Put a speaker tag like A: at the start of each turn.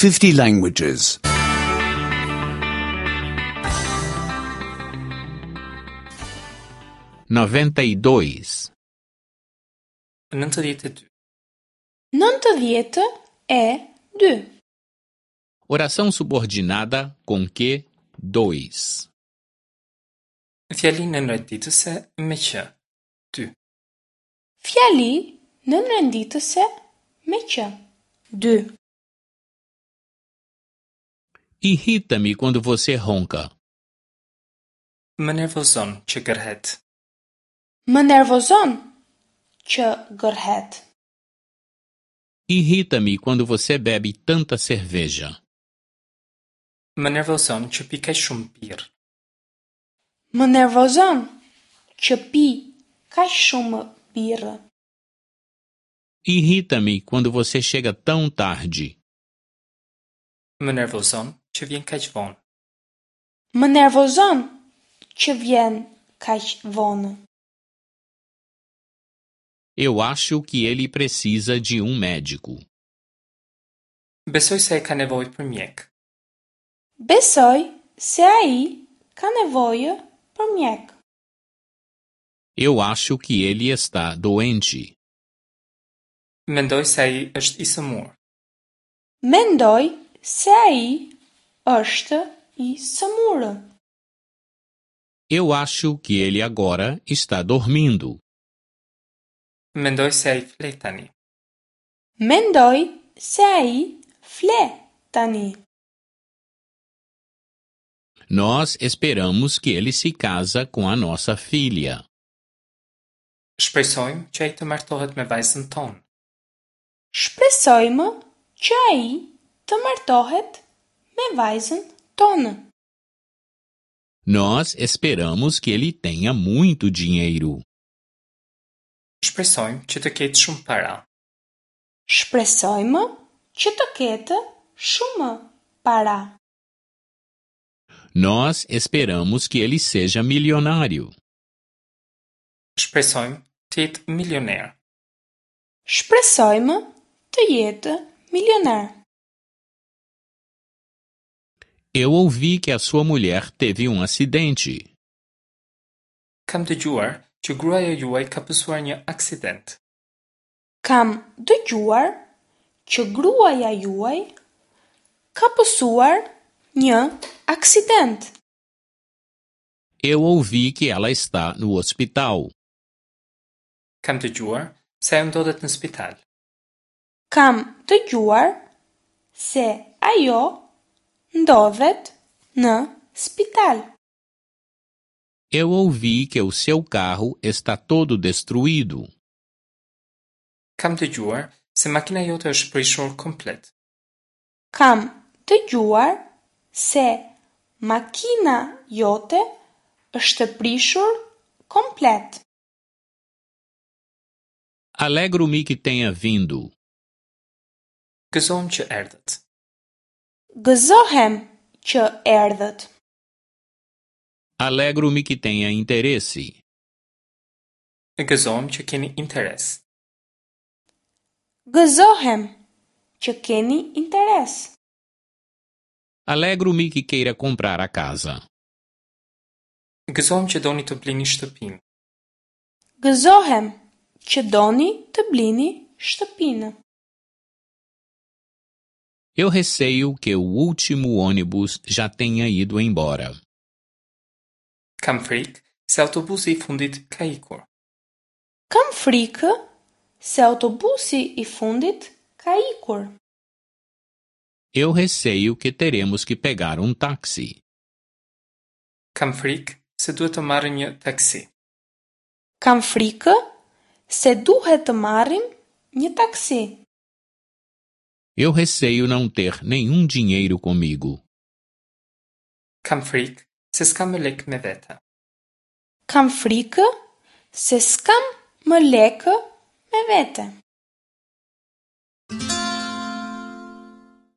A: 50 languages.
B: 92.
C: 92.
D: 92.
B: Oração subordinada com que 2.
C: Fjali nënrenditëse me që. 2.
D: Fjali nënrenditëse me që. 2.
B: Irrita-me quando você ronca.
C: Më nervozon që gërhet.
D: Më nervozon që gërhet.
B: Irrita-me quando você bebe tanta cerveja.
C: Më nervozon që pi kaq shumë birrë.
D: Më nervozon që pi kaq shumë birrë.
B: Irrita-me quando você chega tão tarde.
C: Më nervozon që vjen kaq vonë.
D: Më nervozon që vjen kaq vonë.
B: Eu acho que ele precisa de um médico.
C: Besoj se ai ka nevojë për mjek.
D: Besoj se ai ka nevojë për mjek.
B: Eu acho que ele está doente.
C: Mendoj se ai është i sëmurë.
D: Mendoj se ai është i sëmurë.
B: Eu acho que ele agora está dormindo.
C: Mendoj se ai fle tani.
D: Mendoj se ai fle tani.
B: Nós esperamos que ele se casa com a nossa filha.
C: Shpresojmë që ai të martohet me vajzën tonë.
D: Shpresojmë që ai të martohet me vajzën tonë.
B: Nós esperamos que ele tenha muito dinheiro.
C: Shpresojmë që të ketë shumë para.
D: Shpresojmë që të ketë shumë para.
B: Nós esperamos que ele seja milionário.
C: Shpresojmë të jetë milioner.
D: Shpresojmë të jetë milioner.
B: Eu ouvi que a sua mulher teve um acidente.
C: Kam dëgjuar që gruaja juaj ka pësuar një aksident.
D: Kam dëgjuar që gruaja juaj ka pësuar një aksident.
B: Eu ouvi que ela está no hospital.
C: Kam dëgjuar se ajo ndodhet në spital.
D: Kam dëgjuar se ajo ndodhet në spital.
B: Eu ouvi que o seu carro está todo destruído.
C: Kam dëgjuar se makina jote është prishur komplet.
D: Kam dëgjuar se makina jote është prishur komplet.
B: Alegro-me que tenha vindo.
C: Gëzohem që erdhët.
D: Gëzohem që erdhët.
B: Alegro-me que tenha interesse.
C: Gëzohem që keni interes.
D: Gëzohem që keni interes.
B: Alegro-me que queira comprar a casa.
C: Gëzohem që doni të blini shtëpinë.
D: Gëzohem që doni të blini shtëpinë.
B: Eu receio que o último ônibus já tenha ido embora.
C: Kam frikë se autobusi i fundit ka ikur.
D: Kam frikë se autobusi i fundit ka ikur.
B: Eu receio que teremos que pegar um táxi.
C: Kam frikë se duhet të marrim një taksi.
D: Kam frikë se duhet të marrim një taksi.
B: Eu receio não ter nenhum dinheiro comigo.
C: Kam frikë se s'kam më lekë me vete.
D: Kam frikë se s'kam më lekë me vete.